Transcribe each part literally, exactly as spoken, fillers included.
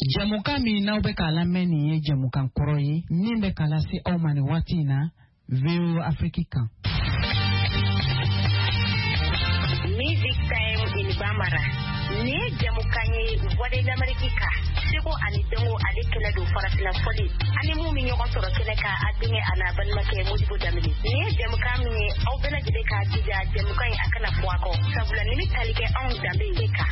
Jɛmukan min n'aw bɛ k'a lamɛn nin ye jɛmukan kɔrɔ ye min bɛ k'a lase aw ma nin waati in na V O A Afrique kan. Music Time in Bambara. Nin ye jɛmukan ye Voix de l'Amérique kan, seko ani dɔnko ale kɛnɛ don, farafinna fɔli ani mun bɛ ɲɔgɔn sɔrɔ kɛnɛ kan, a denkɛ a n'a balimakɛ Modibo Danbele. Nin ye jɛmukan min ye, aw bɛɛ lajɛlen k'a jija jɛmukan in a kana fɔ a kɔ, sabula nin bɛ tali kɛ anw danbe de kan.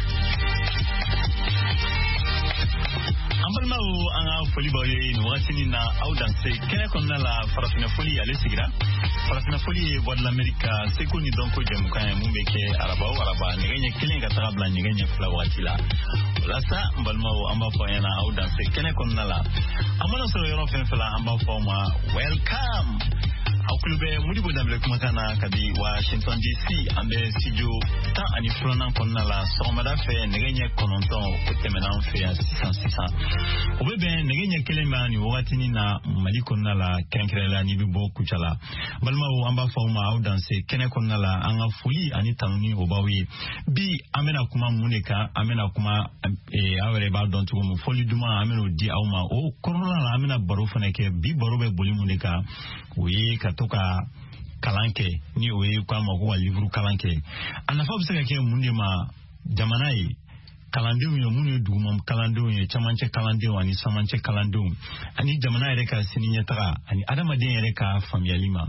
An balimaw, an ka foli b'aw ye nin wagatinin na. Aw danse kɛnɛ kɔnɔna la. Farafinna foli ale sigira. Farafinna foli ye Voix de l'Amérique ka seko ni dɔnko jɛmukan ye mun bɛ kɛ araba o araba, nɛgɛ ɲɛ kelen ka taga bila nɛgɛ ɲɛ fila wagati la. O la sa, n balimaw, an b'a fɔ aw ɲɛna aw danse kɛnɛ kɔnɔna la. An mana sɔrɔ yɔrɔ fɛn fɛn la, an b'a fɔ aw ma welcome. Aw tulo bɛ Modibo Danbele kumakan na kabi Washington D C. An bɛ studio tan ani filanan kɔnɔna la. Sɔgɔmada fɛ nɛgɛ ɲɛ kɔnɔntɔn o tɛmɛna an fɛ yan sisan sisan, o bɛ bɛn nɛgɛ ɲɛ kelen ma nin wagatinin na Mali kɔnɔna la, kɛrɛnkɛrɛnnenya n'i bɛ bɔ Kucala. Balimaw, an b'a fɔ aw ma aw danse kɛnɛ kɔnɔna la. An ka foli ani tanuni o b'aw ye. Bi an bɛna kuma mun de kan? An bɛna kuma, aw yɛrɛ b'a dɔn cogo min, fɔli duman an bɛn'o di aw ma. O kɔnɔna la, an bɛna baro fana kɛ. Bi baro bɛ boli mun de kan? O ye ka to ka kalan kɛ, ni o ye k'a ma ko ka livre kalan kɛ. A nafa bɛ se ka kɛ mun de ma jamana ye, kalandenw ye minnu ye duguma kalandenw ye, camancɛ kalandenw ani samancɛ kalandenw, ani jamana yɛrɛ ka sini ɲɛtaga ani adamaden yɛrɛ ka faamuyali ma?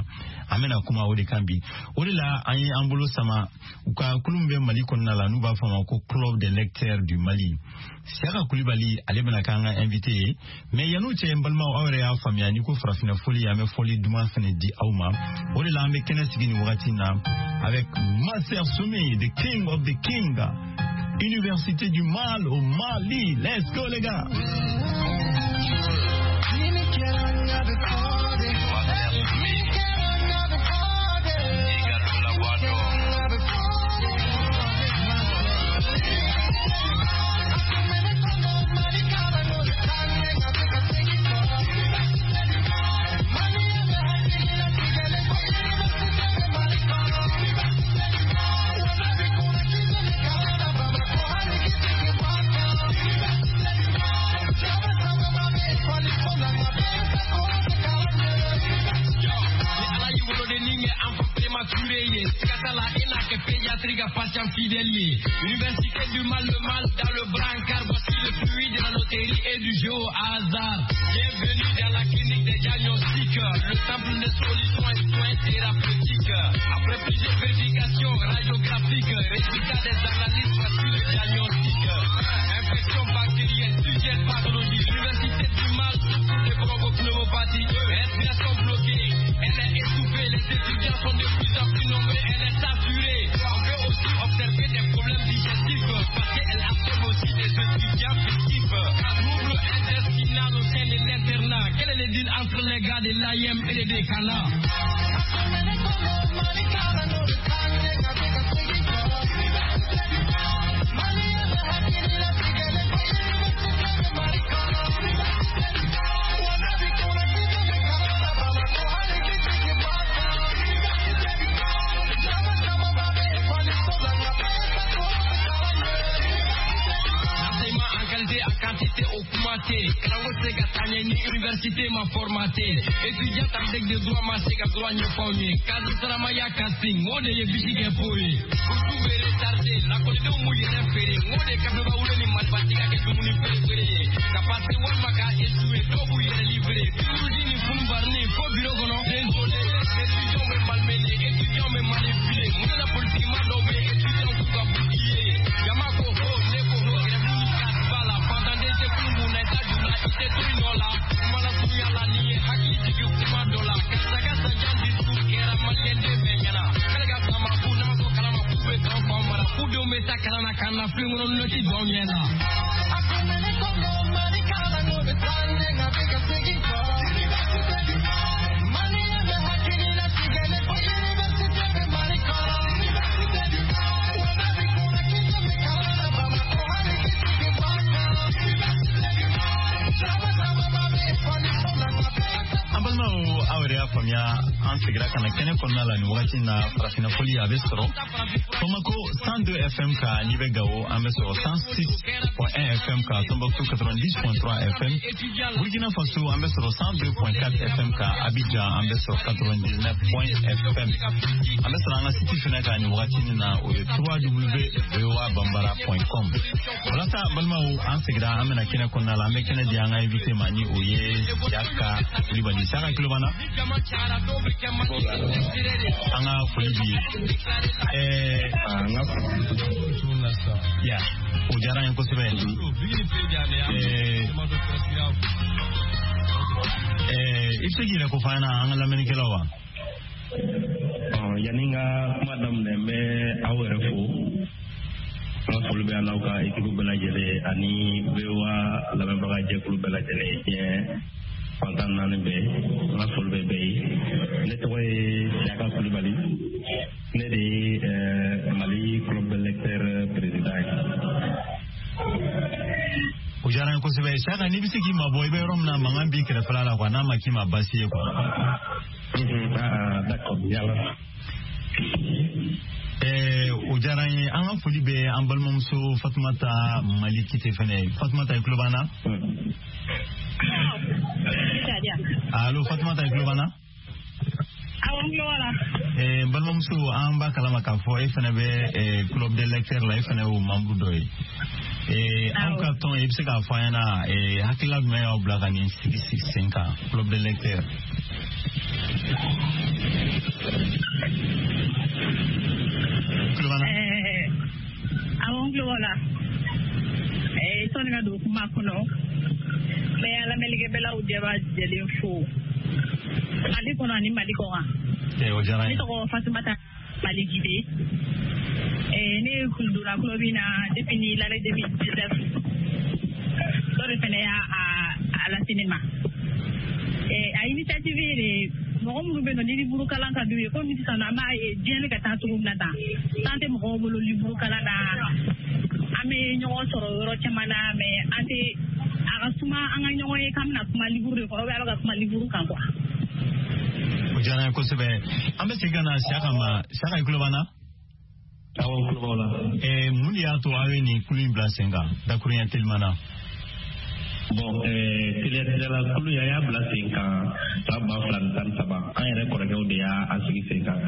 An bɛna kuma o de kan bi. O de la an ye an bolo sama u ka kulu min bɛ Mali kɔnɔna la, n'u b'a fɔ a ma ko Club des lecteurs du Mali. Siyaka Kulibali, ale bɛna k'an ka invité ye. Mais yan'o cɛ, n balimaw, aw yɛrɛ y'a faamuya n'i ko farafinna foli, an bɛ fɔli duman fɛnɛ di aw ma. O de la an bɛ kɛnɛ sigi nin wagati in na avec Master Soumi, the king of the king, Université du Mal au Mali. Let's go les gars. Patient fidèle. Université du mal, le mal dans le brancard. Voici le fruit de la loterie et du jeu au hasard. Bienvenue dans la clinique des diagnostics, le temple des solutions et soins thérapeutiques. Après plusieurs vérifications radiographiques, résultat des analyses, voici le diagnostic. Infection bactérienne, sujet pathologie. L'université du mal souffre de bronchopneumopathie. Respiration bloquée, elle est étouffée. Les étudiants sont de plus en plus nombreux, elle est saturée. On peut aussi observer des problèmes digestifs parce qu'elle absorbe aussi des étudiants fictifs. Trouble intestinal au sein de l'internat. Quel est le deal entre les gars de l'A I M et les décanats? L'enseignement en qualité, en quantité augmenté. Kalanko tɛ se ka taa ɲɛ ni université ma formaté. Étudiant avec des droits ma se ka droit ɲɛfɔ aw ye. Cadre saramaya casting, o de ye bisi kɛ po ye. Bourse bɛ retardé, lakɔlidenw m'u yɛrɛ feere. N o de kafe wolo ni marifatigi ka kɛ dumuni feere ye. Ka passer walima ka échouer, dɔw b'u yɛrɛ livrer. Turuji ni funbarni fo bureau kɔnɔ. Désolé, étudiants bɛ malmené, étudiants bɛ manipuler. Mun de la politique ma dɔw bɛ étudiants k'u ka bouclier. Jama ko ho, ne ko ho, grève ni casse b'a la. Fantanden tɛ kulu mun na, i t'a ju la, i tɛ to i nɔ la. Kuma lasurunya la, n'i ye hakili jigin kuma dɔ la. Karisa ka sanjan discours kɛra maliyɛn den bɛɛ ɲɛna. K'ale ka sama k'u n'a ma sɔn kalama k'u bɛ k'anw faw mara. K'u denw bɛ taa kalan na k'an na filen kɔnɔ nɔti don anw ɲɛ na. An balimaw, aw yɛrɛ y'a faamuya, an segira ka na kɛnɛ kɔnɔna la nin wagati in na. Farafinna fɔli a bɛ sɔrɔ Bamako cent deux F M kan, n'i bɛ Gawo an bɛ sɔrɔ cent six point un F M kan, Tombouctou quatre-vingt-dix point trois F M, Burkina Faso an bɛ sɔrɔ cent deux point quatre F M kan, Abidjan an bɛ sɔrɔ quatre-vingt-dix-neuf point F M, an bɛ sɔrɔ an ka site fɛnɛ kan nin wagati in na, o ye w w w point voa bambara point com. Walasa balimaw, an segira, an bɛna kɛnɛ kɔnɔna la, an bɛ kɛnɛ di an ka invité ma, ni o ye Siyaka Kulibali. Siyaka, tulo b'an na? An ka foli b'i ye. Ɛɛ ya, o diyara an ye kosɛbɛ. Ɛɛ ɛɛ i bɛ se k'i yɛrɛ ko f'an ɲɛna, an ka lamɛnnikɛlaw wa? Yanni n ka kuma daminɛ, n bɛ aw yɛrɛ fo. N ka foli bɛ n'aw ka équipe bɛɛ lajɛlen ani V O A lamɛnbaga jɛkulu bɛɛ lajɛlen, diɲɛ fan tan naani bɛɛ, n ka foli bɛ bɛɛ ye. Ne tɔgɔ ye Siyaka Kulibali, ne de ye Mali Club de lecteur président ye. O diyara n ye kosɛbɛ. Siyaka, n'i bɛ se k'i mabɔ, i bɛ yɔrɔ min na mankan b'i kɛrɛfɛla la quoi, n'a ma k'i ma baasi ye quoi. D'accord, yala. Ɛɛ o diyara n ye. An ka foli bɛ an balimamuso Fatumata Mali Kite fɛnɛ ye. Fatumata, i tulo b'an na? Allo, Fatumata, i tulo b'an na? Awɔ, n tulo b'a la. Ɛɛ n balimamuso, an b'a kalama k'a fɔ e fɛnɛ bɛ club des lecteurs la, e fɛnɛ y'o membre dɔ ye. Ee aw ka tɔn, i bɛ se k'a fɔ an ɲɛna, ee hakilila jumɛn y'aw bila ka nin sigi sigi sen kan, club des lecteurs? Tulo b'an na? Awɔ, n tulo b'a la. Sɔnni ka don kuma kɔnɔ, n bɛ lamɛnnikɛbɛlaw jɛba jɛlen fo Mali kɔnɔ ani Mali kɔkan. O diyara n ye. Ne tɔgɔ Fatumata Mali Gide. Ne donna club in na depuis ni l'année deux mille dix-neuf. Dɔ de fɛnɛ y'a a lase ne ma. A initiative ye de, mɔgɔ minnu bɛ yen nɔ ni livre kalan ka d'u ye, komi sisan an b'a ye diɲɛ bɛ ka taa cogo min na tan, temps tɛ mɔgɔw bolo livre kalan na. An bɛ ɲɔgɔn sɔrɔ yɔrɔ caman na, mais an tɛ a ka suma an ka ɲɔgɔn ye k'an bɛna kuma livre de kɔnɔ, ou bien a bɛ ka kuma livre kan quoi. O diyara n ye kosɛbɛ. An bɛ segin ka na Siyaka ma. Siyaka, i tulo b'an na? Awɔ, n tulo b'aw la. Ɛɛ mun de y'a to aw ye nin kulu in bila sen kan, dakuruɲɛ teliman na? Bon, teliya teliyala, kulu in, an y'a bila sen kan san ba fila ni tan ni saba. An yɛrɛ kɔrɔkɛw de y'a sigi sen kan.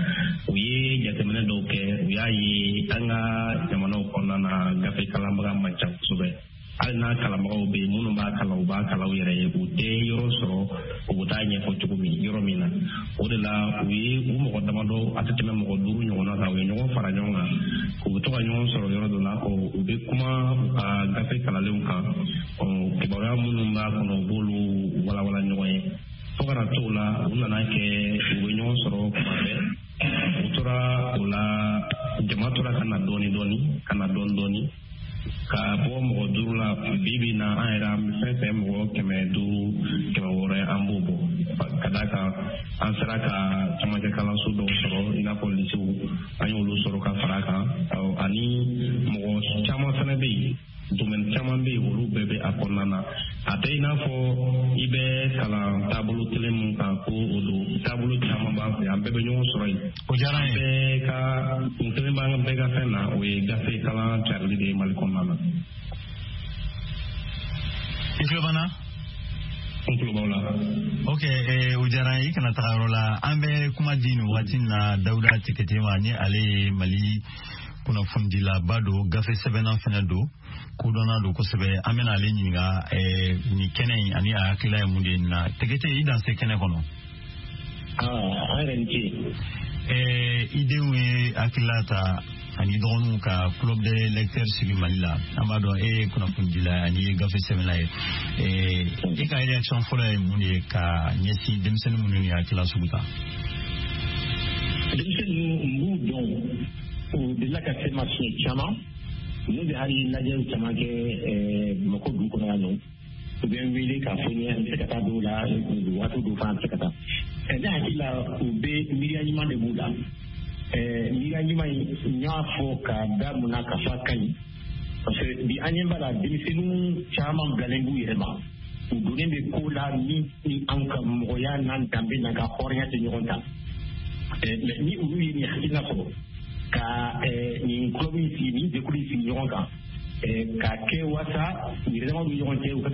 U ye jateminɛ dɔw kɛ, u y'a ye an ka jamanaw kɔnɔna na, gafe kalanbaga man ca kosɛbɛ. Hali n'a kalanbagaw bɛ yen, minnu b'a kalan, u b'a kalan u yɛrɛ ye, u tɛ yɔrɔ sɔrɔ u bɛ taa ɲɛfɔ cogo min yɔrɔ min na. O de la u ye u mɔgɔ damadɔ, a tɛ tɛmɛ mɔgɔ duuru ɲɔgɔnna kan, u ye ɲɔgɔn fara ɲɔgɔn kan, u bɛ to ka ɲɔgɔn sɔrɔ yɔrɔ dɔ la, u bɛ kuma u ka gafe kalanlenw kan, kibaruya minnu b'a kɔnɔ, u b'olu walawala ɲɔgɔn ye. Fo ka na t'o la, u nana kɛ u bɛ ɲɔgɔn sɔrɔ kuma bɛɛ. U tora o la, jama tora ka na dɔɔni dɔɔni, ka na dɔɔni dɔɔni, ka bɔ mɔgɔ duuru la, bi bi na an yɛrɛ, an bɛ fɛn fɛn mɔgɔ kɛmɛ duuru, kɛmɛ wɔɔrɔ ye, an b'o bɔ. Ka d'a kan an sera ka camancɛ kalanso dɔw sɔrɔ, i n'a fɔ lisew, an y'olu sɔrɔ ka fara a kan, ani mɔgɔ caman fana bɛ yen, domaine caman bɛ yen, olu bɛɛ bɛ a kɔnɔna na. A tɛ i n'a fɔ i bɛ kalan taabolo kelen mun kan ko o don, taabolo caman b'an fɛ, an bɛɛ bɛ ɲɔgɔn sɔrɔ yen. O diyara n ye. Bɛɛ ka kun kelen b'an bɛɛ ka fɛn na, o ye gafe kalan carili de ye Mali kɔnɔna na. I tulo b'an na? N tulo b'aw la. Ok, eh, o diyara n ye. I kana taga yɔrɔ la. An bɛ kuma di nin wagati in na Dawuda Tekete ma, ni ale ye Mali kunnafonidilaba don, gafe sɛbɛnna fɛnɛ don, kodɔnna don kosɛbɛ. An bɛna ale ɲininka eh, nin kɛnɛ in ani a hakilila ye mun de ye nin na. Tekete, i danse kɛnɛ kɔnɔ. An yɛrɛ ni ce. Eh, i denw ye hakilila ta ani dɔgɔninw ka club des lecteurs sigi Mali la. An b'a dɔn e ye kunnafonidila ani ye gafe sɛbɛnna ye. Eh, e ka réaction fɔlɔ ye mun de ye ka ɲɛsin denmisɛnnin minnu ye hakilila sugu ta? Denmisɛnnin ninnu, n b'u dɔn, u delila ka se ma siɲɛ caman. N'u bɛ hali lajɛliw caman kɛ Bamakɔ dugu kɔnɔ yan nɔ, u bɛ n wele k'a fɔ n ye an bɛ se ka taa dɔw la, waati dɔw fana an bɛ se ka taa. Ne hakili la, u bɛ miiriya ɲuman de b'u la. Miiriya ɲuman in, n y'a fɔ ka da mun na k'a fɔ a ka ɲi, parce que bi an ɲɛ b'a la, denmisɛnninw caman bilalen b'u yɛrɛ ma. U donnen bɛ ko la min ni anw ka mɔgɔya n'an danbe n'an ka hɔrɔnya tɛ ɲɔgɔn ta. Mais ni olu ye nin hakilina sɔrɔ ka nin club in sigi, nin jɛkulu in sigi ɲɔgɔn kan, k'a kɛ waasa yɛrɛdamaw ni ɲɔgɔn cɛ u ka